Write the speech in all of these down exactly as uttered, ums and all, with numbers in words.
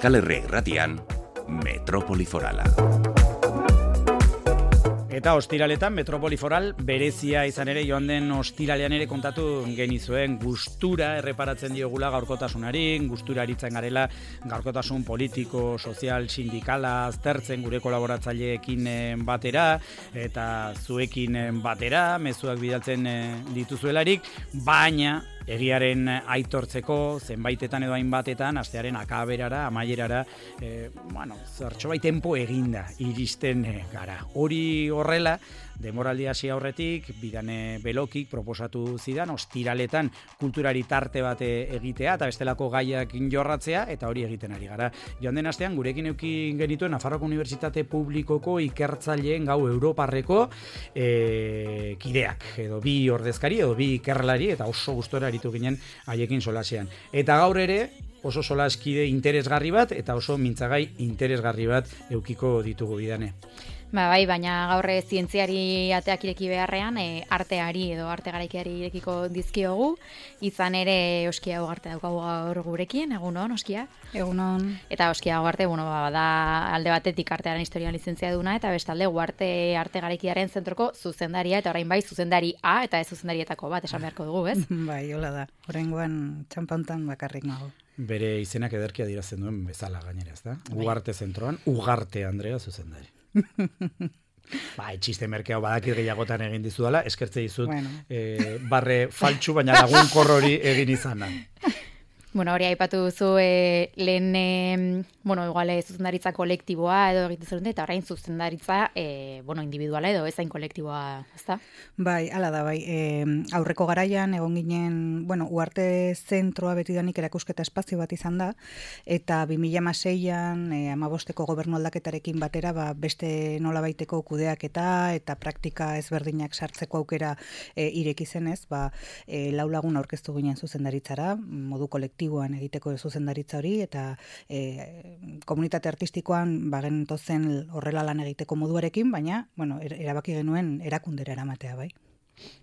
Euskal Herria Irratian, Metropoli Forala. Eta ostiraletan Metropoli Foral berezia izan ere, joan den ostiralean ere kontatu genizuen gustura erreparatzen diogula gaurkotasunari, gustura aritzen garela gaurkotasun politiko, sozial, sindikala aztertzen gure kolaboratzaileekin batera eta zuekin batera, mezuak bidaltzen dituzuelarik, baina egiaren aitortzeko zenbaitetan edo hainbatetan astearen akaberara, amaierara, e, bueno, zertxobait tempo eginda iristen gara. Hori horrela, demoraldi hasi aurretik, Bidane Belokik proposatu zidan, ostiraletan kulturari tarte bat egitea, eta bestelako gaiak jorratzea, eta hori egiten ari gara. Joan den astean, gurekin eukin genituen Nafarroako Unibertsitate Publikoko ikertzaileen gau Europarreko e, kideak, edo bi ordezkari, edo bi ikerlari, eta oso gustora aritu ginen haiekin solasean. Eta gaur ere, oso solaskide interesgarri bat, eta oso mintzagai interesgarri bat eukiko ditugu Bidane. Ba, bai, baina gaur zientziari ateak ireki beharrean, e, arteari edo arte garaikiari irekiko dizkiogu, izan ere Oskia Ugarte daukagu gaur gurekin, egunon, Oskia? Egunon. Eta Oskia Ugarte, bueno, ba, da alde batetik artearen historian lizentzia duna, eta bestalde Ugarte arte garaikiaren zentroko zuzendaria, eta orain bai zuzendari A, eta ez zuzendarietako bat, esan beharko dugu, ez? Bai, hola da, oraingoan txampantan bakarrik nago. Bere izenak ederki adierazten duen bezala gainera, ez da? Ugarte zentroan, Ugarte Andrea zuzendari. Ba, etxiste merkeau badakit gehiagotan egin dizudala, eskertze dizut bueno. eh, barre faltsu, baina lagun korrori egin izana. Bueno, hori aipatu duzu e, lehen, e, bueno, igual zuzendaritza kolektiboa edo egiten zen, eta orain zuzendaritza, e, bueno, individuala edo ezain kolektiboa, ezta? Bai, hala da, bai. E, aurreko garaian egon ginen, bueno, Ugarte zentroa betidanik erakusketa espazio bat izan da, eta bi mila hamaseian e, hamabosteko gobernu aldaketarekin batera, ba, beste nolabaiteko kudeaketa eta praktika ezberdinak sartzeko aukera e, ireki zenez, ba, e, lau lagun aurkeztu ginen zuzendaritzara, modu kolektiboa egiteko zuzendaritza hori, eta e, komunitate artistikoan bagen tozen horrela lan egiteko moduarekin, baina bueno, erabaki genuen erakundera eramatea, bai.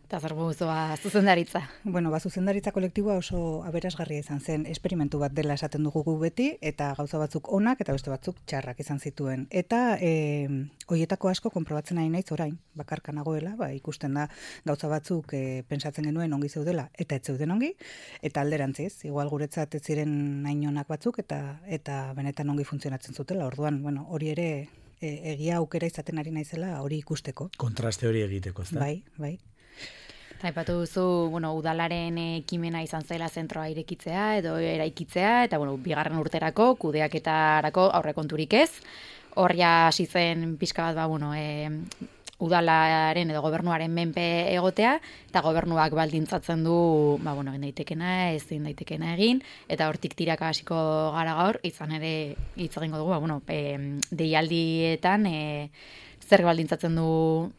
Eta zer guztua zuzendaritza? Bueno, ba, zuzendaritza kolektiboa oso aberasgarria izan zen, esperimentu bat dela esaten dugu gu beti, eta gauza batzuk onak eta beste batzuk txarrak izan zituen. Eta e, hoietako asko konprobatzen nahi naiz orain, bakarka nagoela, ba, ikusten da gauza batzuk e, pentsatzen genuen ongi zeudela, eta ez zeuden ongi, eta alderantziz, igual guretzat ez ziren hain onak batzuk, eta eta benetan ongi funtzionatzen zutela, orduan, bueno, hori ere e, egia aukera izaten ari naizela hori ikusteko. Kontraste hori egiteko, ezta? Bai, bai. Aipatu duzu, bueno, udalaren ekimena izan zela zentroa irekitzea edo eraikitzea, eta bueno, bigarren urterako, kudeaketarako aurrekonturik ez. Horria hasi zen pixka bat, ba, bueno, e, udalaren edo gobernuaren menpe egotea, eta gobernuak baldintzatzen du, ba, bueno, egin daitekena, ezin daitekena egin, eta hortik tiraka hasiko gara gaur, izan ere hitz egingo dugu, ba, bueno, e, deialdietan e, zer baldintzatzen du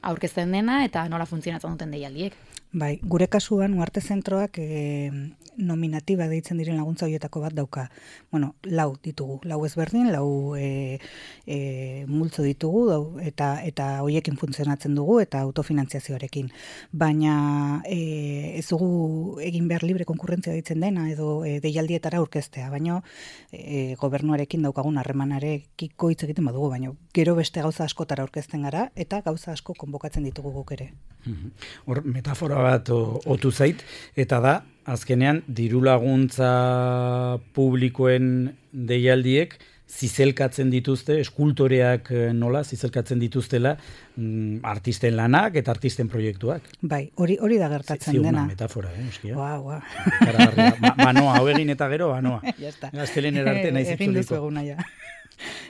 aurkezten dena, eta nola funtzionatzen duten deialdiek. Bai, gure kasuan Ugarte zentroak e, nominatiba deitzen diren laguntza horietako bat dauka. Bueno, lau ditugu, lau ezberdin, lau e, e, multzo ditugu, dau, eta eta hoiekin funtzionatzen dugu eta autofinantziazioarekin. Baina e, ez dugu egin behar libre konkurrentzia deitzen dena edo e, deialdietara aurkeztea, baina e, gobernuarekin daukagun harremanarekiko hitz egiten badugu, baina gero beste gauza askotara aurkezten gara eta gauza asko konbokatzen ditugu guk ere. Hor, metafora bat otu zait, eta da, azkenean, diru laguntza publikoen deialdiek zizelkatzen dituzte, eskultoreak nola, zizelkatzen dituztela mm, artisten lanak eta artisten proiektuak. Bai, hori hori da gertatzen Ziuna dena. Metafora, eh, oskia. Ua, ua. Ba, banoa, hau egin eta gero, banoa. Ya está. Gaztelen erarte nahi Egin duzu zitzuliko. eguna, ja.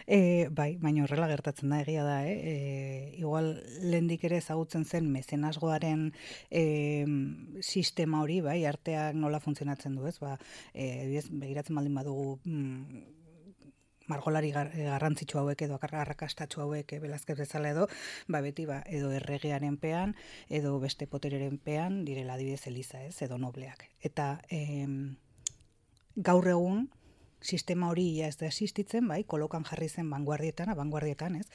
E, bai, baina horrela gertatzen da, egia da, eh? E, igual lehendik ere ezagutzen zen mezenasgoaren e, sistema hori, bai, arteak nola funtzionatzen du, ez? Ba, e, begiratzen baldin badugu mm, margolari gar, garrantzitsu hauek edo arrakastatsu hauek e, Velázquez bezala edo, ba beti ba, edo erregearen pean, edo beste potereren pean, direla adibidez Eliza, ez? Edo nobleak. Eta e, gaur egun, sistema hori ja ez da existitzen, bai, kolokan jarri zen vanguardietan, abanguardietan, ez?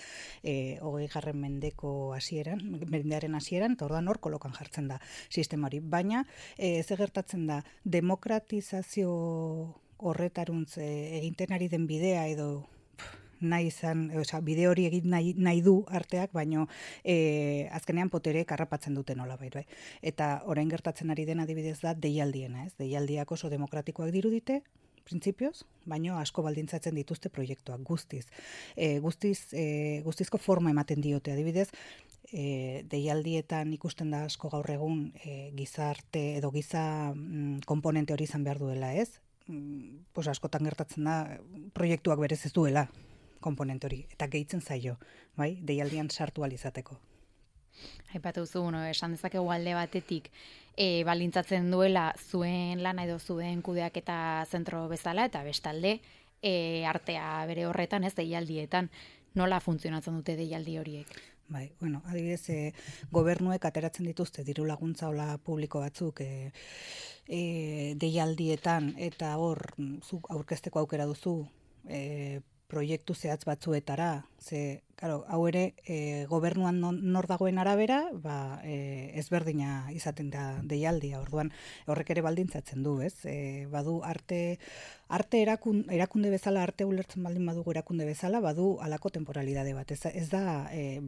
Eh, hogei garren mendeko hasieran, mendearen hasieran, eta orduan hor kolokan jartzen da sistema hori. Baina, eh, ze gertatzen da, demokratizazio horretaruntz e, eginten ari den bidea edo nahi izan, oza, bide hori egin nahi, nahi du arteak, baino e, azkenean potere karrapatzen duten nolabait, bai. Eta orain gertatzen ari den adibidez da deialdiena, ez? Deialdiak oso demokratikoak dirudite, printzipioz, baino asko baldintzatzen dituzte proiektuak guztiz. E, guztiz e, guztizko forma ematen diote, adibidez, e, deialdietan ikusten da asko gaur egun e, gizarte edo giza mm, komponente hori izan behar duela, ez? Mm, pues askotan gertatzen da proiektuak berez ez duela komponente hori, eta gehitzen zaio, bai, deialdian sartu alizateko. Aipatu zu, bueno, esan dezakegu alde batetik, e, baldintzatzen duela zuen lana edo zuen kudeaketa zentro bezala, eta bestalde, e, artea bere horretan, ez, deialdietan, nola funtzionatzen dute deialdi horiek? Bai, bueno, adibidez, e, gobernuek ateratzen dituzte diru laguntza hola publiko batzuk e, e, deialdietan, eta hor, zuk aurkezteko aukera duzu, e, proiektu zehatz batzuetara, ze, claro, hau ere e, gobernuan nor dagoen arabera, ba, e, ezberdina izaten da deialdia, orduan horrek ere baldintzatzen du, ez? E, badu arte, arte erakun, erakunde bezala, arte ulertzen baldin badugu erakunde bezala, badu alako temporalidade bat, ez, ez da e,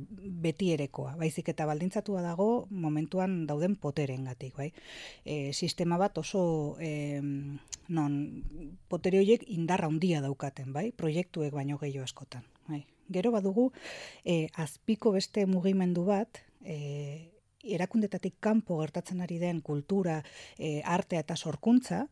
beti erekoa, baizik eta baldintzatua dago momentuan dauden poterengatik, bai? E, sistema bat oso e, non potere horiek indarra handia daukaten, bai? Proiektuek baino gehiago askotan, bai? Gero badugu, eh, azpiko beste mugimendu bat, eh, erakundetatik kanpo gertatzen ari den kultura, eh, artea eta sorkuntza,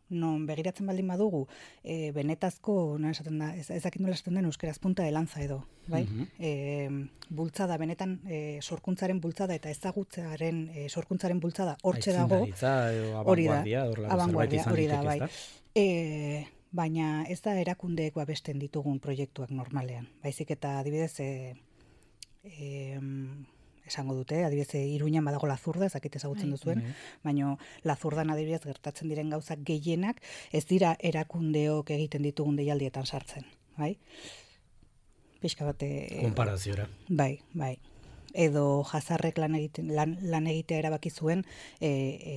non begiratzen baldin badugu, eh, benetazko, no esaten da, ez, ezakin nola esaten den euskeraz punta de lanza edo, bai? Uh-huh. eh, bultzada, benetan eh, sorkuntzaren bultzada eta ezagutzearen eh, sorkuntzaren bultzada hortxe dago, hori da, abanguardia, hori da, bai. Eh, baina ez da erakundeek babesten ditugun proiektuak normalean. Baizik eta adibidez, e, e, esango dute, adibidez, Iruñan badago Lazurda, ezakit ezagutzen duzuen, baina Lazurdan adibidez gertatzen diren gauzak gehienak ez dira erakundeok egiten ditugun deialdietan sartzen. Bai? Pixka bate... Konparaziora. Bai, bai. Edo jazarrek lan, egiten, lan, lan egitea erabaki zuen e, e,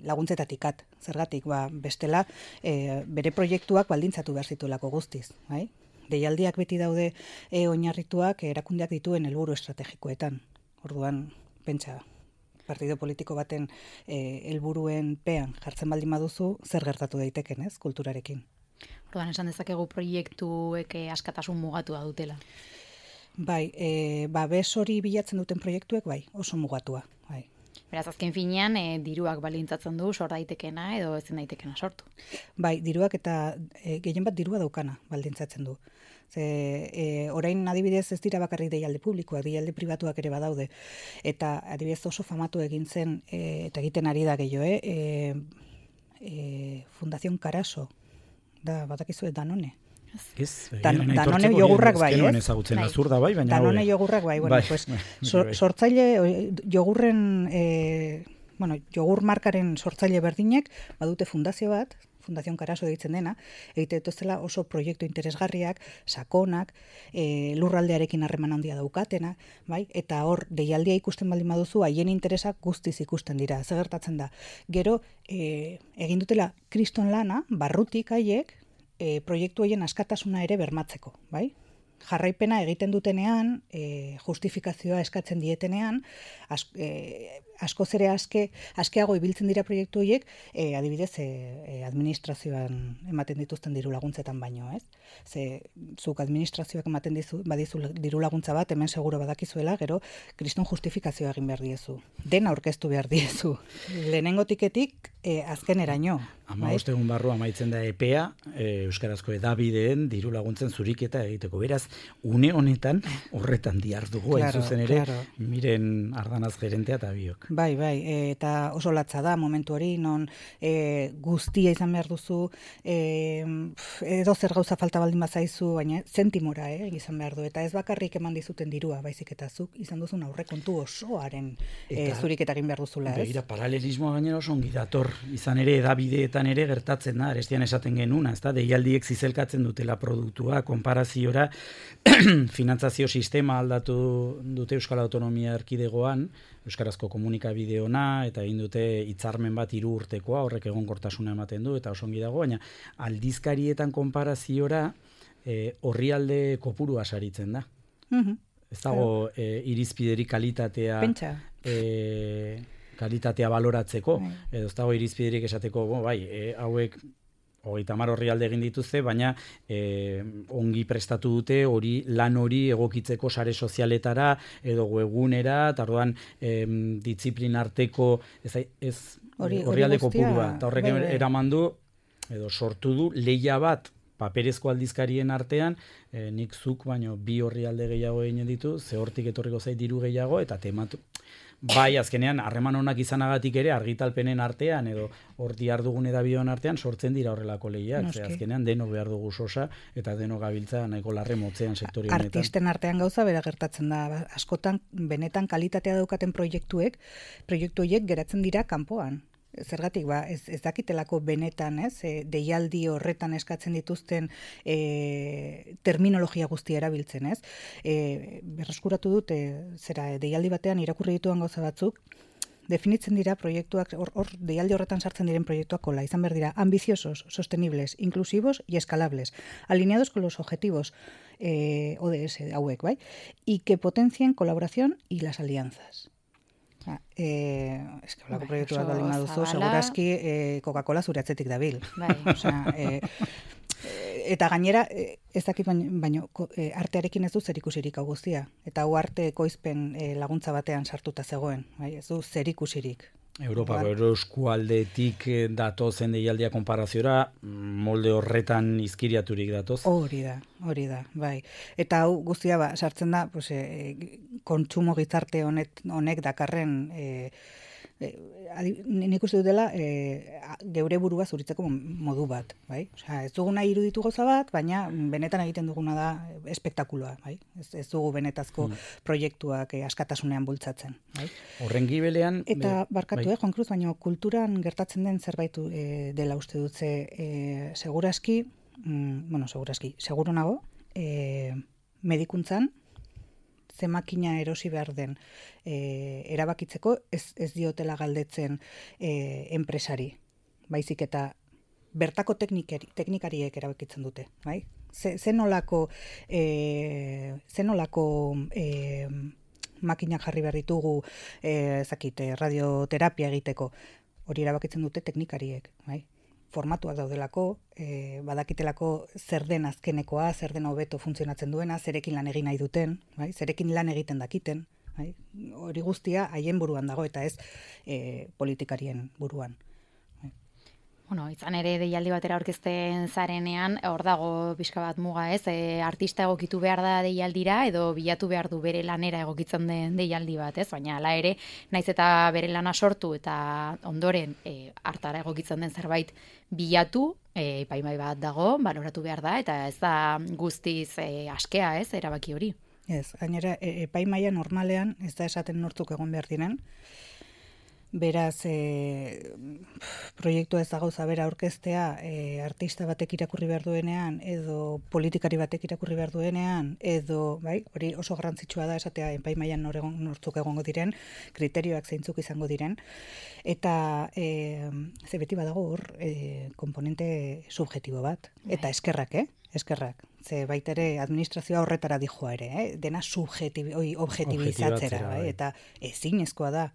laguntzetatikat. Zergatik, ba, bestela, e, bere proiektuak baldintzatu behar zituelako guztiz. Bai? Deialdiak beti daude e, oinarrituak erakundeak dituen helburu estrategikoetan. Orduan, pentsa, partido politiko baten e, helburuen pean jartzen baldin baduzu, zer gertatu daiteken, ez, kulturarekin. Orduan, esan dezakegu proiektuek askatasun mugatua dutela. Bai, e, babes hori bilatzen duten proiektuek, bai, oso mugatua. Bai. Beraz, azken finean, e, diruak balintzatzen du, sor daitekena edo ezin daitekena sortu. Bai, diruak eta e, gehien bat dirua daukana baldintzatzen du. Ze, e, orain adibidez ez dira bakarrik deialde publikoak, deialde pribatuak ere badaude. Eta adibidez oso famatu egin zen, e, eta egiten ari da gehiago, eh? e, e, Fundación Caraso, da, batakizu Danone. Ez, Dan, Danone jogurrak bai, ez? Ezagutzen azurda bai, baina Danone jogurrak bai, bueno, bai, pues, so, sortzaile jogurren, eh, bueno, jogur markaren sortzaile berdinek badute fundazio bat, Fundación Caraso deitzen dena, egite dituztela oso proiektu interesgarriak, sakonak, e, lurraldearekin harreman handia daukatena, bai? Eta hor deialdia ikusten baldin baduzu, haien interesak guztiz ikusten dira. Zer gertatzen da? Gero e, egin dutela kriston lana, barrutik haiek, e, proiektu horien askatasuna ere bermatzeko, bai? Jarraipena egiten dutenean, e, justifikazioa eskatzen dietenean, as, e, askoz ere aske, askeago ibiltzen dira proiektu horiek, e, adibidez, e, e, administrazioan ematen dituzten diru laguntzetan baino, ez? Ze, zuk administrazioak ematen dizu, badizu diru laguntza bat, hemen seguro badakizuela, gero, kriston justifikazioa egin behar diezu. Dena aurkeztu behar diezu. Lehenengo tiketik, e, azken eraino. Ama bost egun barru amaitzen da epea, e, Euskarazko edabideen diru laguntzen zuriketa egiteko. Beraz, une honetan, horretan diardugu, hain claro, zuzen ere, claro. Miren Ardanaz gerentea eta biok. Bai, bai, e, eta oso latza da momentu hori, non e, guztia izan behar duzu, e, edo zer gauza falta baldin bazaizu, baina zentimora eh, izan behar du, eta ez bakarrik eman dizuten dirua, baizik eta zuk izan duzun aurrekontu osoaren e, zuriketa egin behar duzula, ez? Begira, paralelismoa gainera oso ongi dator, izan ere edabideetan ere gertatzen da, arestian esaten genuna, ezta, deialdiek zizelkatzen dutela produktua, konparaziora, finantzazio sistema aldatu dute Euskal Autonomia Erkidegoan, Euskarazko komunikazio komunikabide ona, eta egin dute hitzarmen bat hiru urtekoa, horrek egonkortasuna ematen du, eta oso ongi dago, baina aldizkarietan konparaziora e, orrialde kopurua saritzen da. Mhm. Ez dago e, irizpideri kalitatea e, kalitatea baloratzeko, bai. Edo ez dago irizpiderik esateko, bo, bai, e, hauek hogeita hamar orrialde egin dituzte, baina e, ongi prestatu dute hori lan hori egokitzeko sare sozialetara edo webgunera, eta orduan e, diziplin arteko ez, ez orrialde kopurua, eta horrek bai, bai. eraman du edo sortu du lehia bat paperezko aldizkarien artean, e, nik zuk baino bi orrialde gehiago egin ditu, ze hortik etorriko zait diru gehiago, eta tematu. Bai, azkenean, harreman onak izanagatik ere, argitalpenen artean, edo hor diardugun edabideon artean, sortzen dira horrelako lehiak. Ze azkenean, deno behar dugu sosa, eta deno gabiltza nahiko larre motzean sektori honetan. Artisten artean gauza bera gertatzen da. Askotan, benetan kalitatea daukaten proiektuek, proiektu horiek geratzen dira kanpoan. Zergatik, ba, ez, ez dakitelako benetan, ez, e, deialdi horretan eskatzen dituzten e, terminologia guztia erabiltzen, ez. E, berreskuratu dut, e, zera, deialdi batean irakurri dituan gauza batzuk, definitzen dira proiektuak, hor, hor deialdi horretan sartzen diren proiektuak kola, izan behar dira ambiciosos, sostenibles, inclusivos y escalables, alineados con los objetivos eh, O D S hauek, bai, y que potencien colaboración y las alianzas. Eh, es que holako proiektu bat baldin baduzu, segurazki eh, Coca-Cola zure atzetik dabil. Bai. Osea, eh, eta gainera, eh, ez dakit baino, baino eh, artearekin ez du zerikusirik hau guztia. Eta hau arte ekoizpen eh, laguntza batean sartuta zegoen. Bai? Ez du zerikusirik. Europako eskualdetik datozen deialdia konparaziora, molde horretan izkiriaturik datoz. Hori da, hori da, bai. Eta hau guztia ba, sartzen da, pues, e, kontsumo gizarte honek, honek dakarren, e, e, nik uste dut dela, e, geure burua zuritzeko modu bat, bai? Osea, ez duguna iruditu gauza bat, baina benetan egiten duguna da espektakuloa, bai? Ez, ez dugu benetazko hmm. proiektuak e, askatasunean bultzatzen, bai? Horren gibelean... Eta barkatu, bai. eh, Juan Cruz, baina kulturan gertatzen den zerbait e, dela uste dutze, e, seguraski, mm, bueno, seguraski, seguru nago, e, medikuntzan, ze makina erosi behar den e, erabakitzeko ez, ez diotela galdetzen e, enpresari. Baizik eta bertako teknikari, teknikariek erabakitzen dute. Bai? Ze, ze nolako, e, ze nolako e, makinak jarri behar ditugu e, zakit, radioterapia egiteko. Hori erabakitzen dute teknikariek. Bai? Formatuak daudelako, e, badakitelako zer den azkenekoa, zer den hobeto funtzionatzen duena, zerekin lan egin nahi duten, bai? Zerekin lan egiten dakiten. Bai? Hori guztia haien buruan dago eta ez e, politikarien buruan. Bai? Bueno, izan ere deialdi batera aurkezten zarenean, hor dago pixka bat muga, ez? E, artista egokitu behar da deialdira edo bilatu behar du bere lanera egokitzen den deialdi bat, ez? Baina hala ere, naiz eta bere lana sortu eta ondoren e, hartara egokitzen den zerbait bilatu, e, epaimai bat dago, baloratu behar da, eta ez da guztiz e, askea, ez? Erabaki hori. Ez, gainera, e, epaimaia normalean ez da esaten nortzuk egon behar diren. Beraz, e, proiektua ez da gauza bera aurkeztea e, artista batek irakurri behar duenean, edo politikari batek irakurri behar duenean, edo, bai, hori oso garrantzitsua da esatea epaimaian nortzuk egongo diren, kriterioak zeintzuk izango diren, eta e, ze beti badago hor e, komponente subjektibo bat, eta eskerrak, eh? Eskerrak. Ze baita ere administrazioa horretara dijoa ere, eh? Dena subjektibi, oi, objektibizatzera, bai? Eta ezinezkoa da.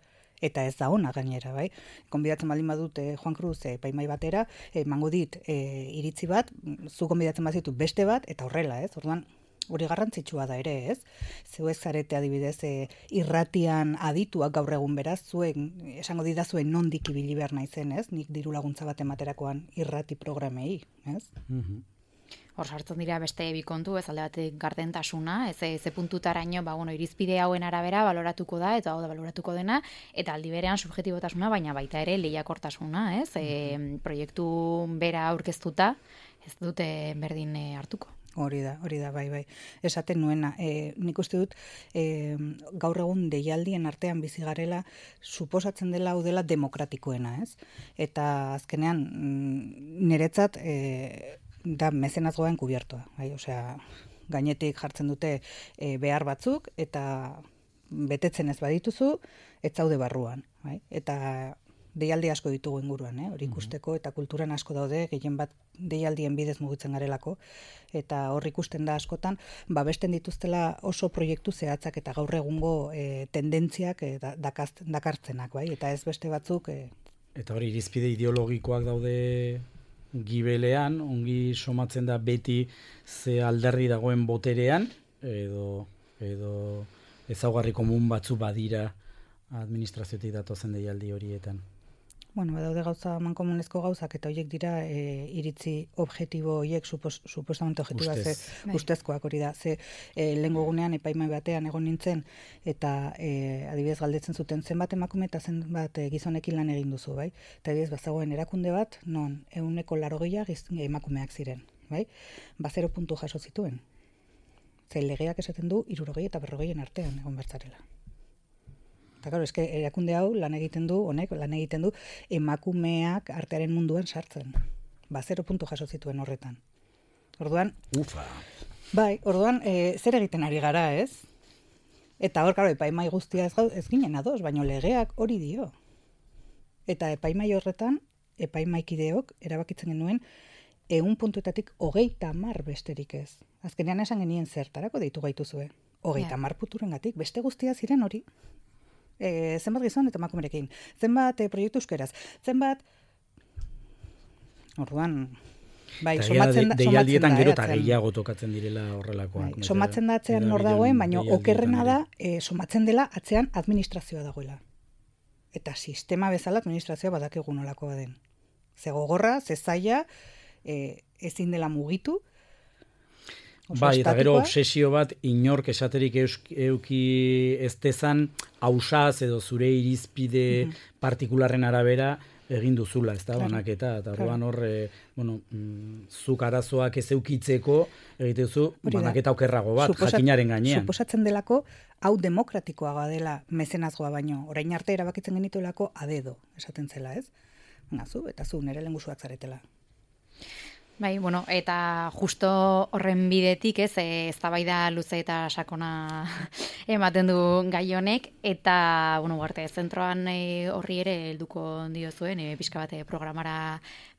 Eta ez da ona gainera, bai? Konbidatzen baldin badut eh, Juan Cruz eh, epaimai batera, emango dit eh, iritzi bat, zu konbidatzen bazitu beste bat, eta horrela, ez? Orduan, hori garrantzitsua da ere, ez? Zeu ez zarete adibidez eh, irratian adituak gaur egun beraz, zuen, esango didazuen nondik ibili behar naizen, ez? Nik diru laguntza bat ematerakoan irrati programei, ez? Mhm. Hor sartzen dira beste bi kontu, ez alde batek gardentasuna, ez ze puntutaraino, ba bueno, irizpide hauen arabera baloratuko da eta hau da baloratuko dena, eta aldi berean subjektibotasuna, baina baita ere lehiakortasuna, ez? E, proiektu bera aurkeztuta, ez dute berdin hartuko. Hori da, hori da, bai, bai. Esaten nuena, e, nik uste dut e, gaur egun deialdien artean bizi garela suposatzen dela hau dela demokratikoena, ez? Eta azkenean niretzat e, da mezenazgoen kubiertoa, bai, osea, gainetik jartzen dute e, behar batzuk eta betetzen ez badituzu, ez zaude barruan. Bai? Eta deialdi asko ditugu inguruan, eh? Hori ikusteko, eta kulturan asko daude, gehien bat deialdien bidez mugitzen garelako, eta hor ikusten da askotan, ba besten dituztela oso proiektu zehatzak eta gaur egungo e, tendentziak e, da, dakartzenak, bai? Eta ez beste batzuk... E... Eta hori irizpide ideologikoak daude gibelean, ongi somatzen da beti ze alderdi dagoen boterean, edo, edo ezaugarri komun batzu badira administraziotik datozen deialdi horietan. Bueno, badaude gauza mankomunezko gauzak eta horiek dira e, iritzi objektibo horiek supos, supuestamente objektiboa ze ustezkoak hori da. Ze e, lehengo gunean epaimai batean egon nintzen eta e, adibidez galdetzen zuten zenbat emakume eta zenbat e, gizonekin lan egin duzu, bai? Eta adibidez bazagoen erakunde bat non ehuneko laurogeia emakumeak ziren, bai? Ba zero puntu jaso zituen. Ze legeak esaten du hirurogei eta berrogeien artean egon bertzarela. Eta claro, eske erakunde hau lan egiten du, honek lan egiten du emakumeak artearen munduan sartzen. Ba, zero puntu jaso zituen horretan. Orduan, ufa. Bai, orduan, e, zer egiten ari gara, ez? Eta hor, claro, epaimai guztia ez, ez ginen ados, baino legeak hori dio. Eta epaimai horretan, epaimaikideok erabakitzen genuen ehun puntuetatik hogeita hamar besterik ez. Azkenean esan genien zertarako deitu gaituzue. Hogeita hamar puturengatik, beste guztia ziren hori. E, zenbat gizon eta emakumerekin, zenbat e, proiektu euskeraz, zenbat orduan bai, somatzen da, deialdietan gero eta gehiago tokatzen direla horrelakoak. Bai, somatzen da atzean nor dagoen, baina okerrena da e, somatzen dela atzean administrazioa dagoela. Eta sistema bezala administrazioa badakigu nolakoa den. Ze gogorra, ze zaila, e, ezin dela mugitu. Bai, eta gero obsesio bat inork esaterik euki ez dezan ausaz edo zure irizpide mm-hmm. partikularren arabera egin duzula, ez da, claro, banaketa. Eta orduan claro. hor, e, bueno, mm, zuk arazoak ez eukitzeko egitezu banaketa okerrago bat, Suposat, jakinaren gainean. Suposatzen delako, hau demokratikoagoa dela mezenazgoa baino, orain arte erabakitzen genituelako adedo, esaten zela, ez? Nazu, eta zu nire lengusuak zaretela. Bai, bueno, eta justo horren bidetik, ez, eztabaida luze eta sakona ematen du gai honek, eta, bueno, arte, zentroan e, horri ere helduko diozuen, e, pixka bat programara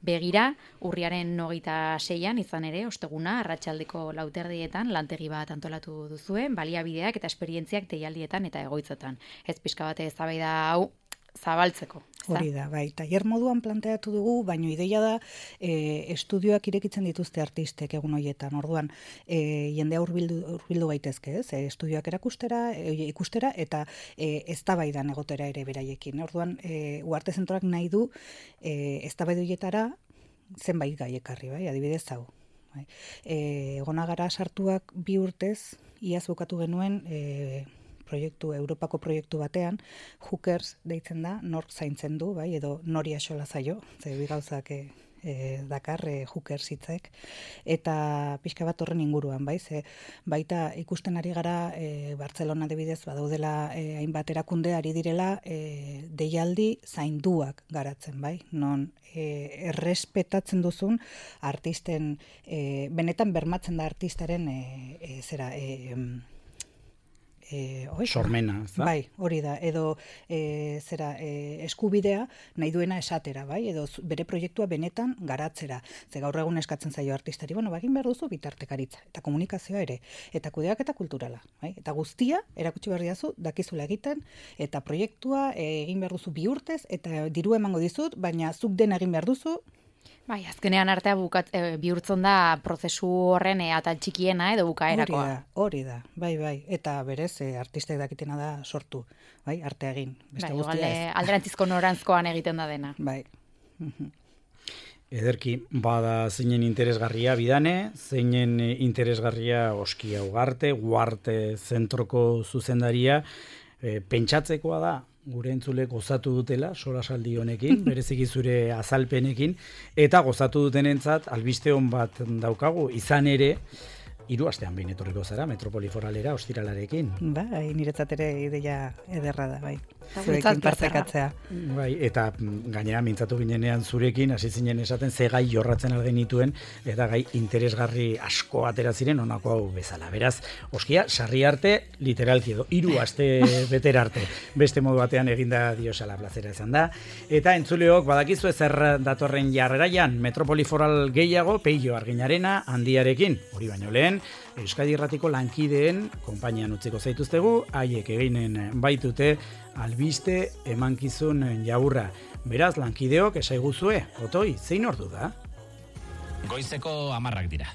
begira, urriaren hogeita seian, izan ere, osteguna, arratsaldeko lauterdietan, lantegi bat antolatu duzuen, baliabideak eta esperientziak deialdietan eta egoitzetan. Ez pixka bat eztabaida hau zabaltzeko. Hori da, bai. Tailer moduan planteatu dugu, baino ideia da e, estudioak irekitzen dituzte artistek egun horietan. Orduan, e, jendea hurbildu hurbildu gaitezke, ez? E, estudioak erakustera, e, ikustera eta e, eztabaidan egotera ere beraiekin. Orduan, e, Uarte Zentroak nahi du e, eztabaida horietara zenbait gai ekarri, bai? Adibidez hau. Bai. E, egona gara sartuak bi urtez, iaz bukatu genuen e, proiektu, Europako proiektu batean, Hookers deitzen da, nork zaintzen du, bai, edo nori axola zaio, ze bi gauzak e, e, dakar e, Hookers hitzek, eta pixka bat horren inguruan, bai, ze baita ikusten ari gara e, Bartzelona adibidez badaudela e, hainbat erakunde ari direla e, deialdi zainduak garatzen, bai, non e, errespetatzen duzun artisten, e, benetan bermatzen da artistaren e, e, zera, e, E, sormena, ez da? Bai, hori da, edo e, zera, e, eskubidea nahi duena esatera, bai, edo bere proiektua benetan garatzera. Ze gaur egun eskatzen zaio artistari, bueno, bagin behar duzu bitartekaritza, eta komunikazioa ere, eta kudeak eta kulturala, bai? Eta guztia, erakutsi behar diazu, dakizula egiten, eta proiektua egin behar duzu bi urtez, eta diru emango dizut, baina zuk dena egin behar duzu. Bai, azkenean artea bukat, e, bihurtzen da prozesu horren e, atal txikiena edo bukaerakoa. Hori da, hori da, bai, bai. Eta berez, e, artistek dakitena da sortu, bai, arte egin. Beste bai, guztia ez. Alderantzizko norantzkoan egiten da dena. Bai. Ederki, bada zeinen interesgarria bidane, zeinen interesgarria Oskia Ugarte, Uarte Zentroko zuzendaria, e, pentsatzekoa da, gure entzule gozatu dutela, solasaldi honekin, bereziki zure azalpenekin, eta gozatu dutenentzat albiste hon bat daukagu, izan ere, hiru astean behin etorriko zara Metropoli Foralera ostiralarekin. Bai, niretzat ere ideia ederra da, bai. Guretzat Zurekin plazerra. partekatzea. Bai, eta mm, gainera mintzatu ginenean zurekin, hasi zinen esaten ze gai jorratzen algenituen, eta gai interesgarri asko atera ziren honako hau bezala. Beraz, oskia, sarri arte, literalki edo, hiru aste betera arte. Beste modu batean eginda diosala plazera izan da. Eta entzuleok, badakizu zer datorren jarreraian, Metropoli Foral gehiago, Peio Arginarena handiarekin. Hori baino lehen, Euskadi Irratiko lankideen konpainian utziko zaituztegu, haiek eginen baitute albiste emankizun jaurra. Beraz, lankideok esaiguzue, Otoi, zein ordu da? Goizeko hamarrak dira.